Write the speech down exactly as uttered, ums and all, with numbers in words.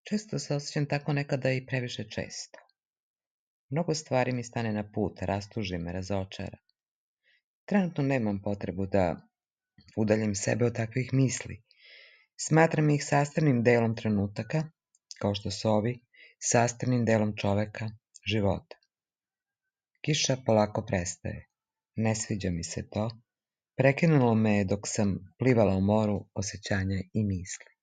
Često se osjećam tako nekada i previše često. Mnogo stvari mi stane na put, rastuži me, razočara. Trenutno nemam potrebu da udaljim sebe od takvih misli. Smatram ih sastavnim delom trenutaka, kao što su ovi, sastavnim delom čoveka, života. Kiša polako prestaje. Ne sviđa mi se to. Prekinulo me je dok sam plivala u moru osjećanja i misli.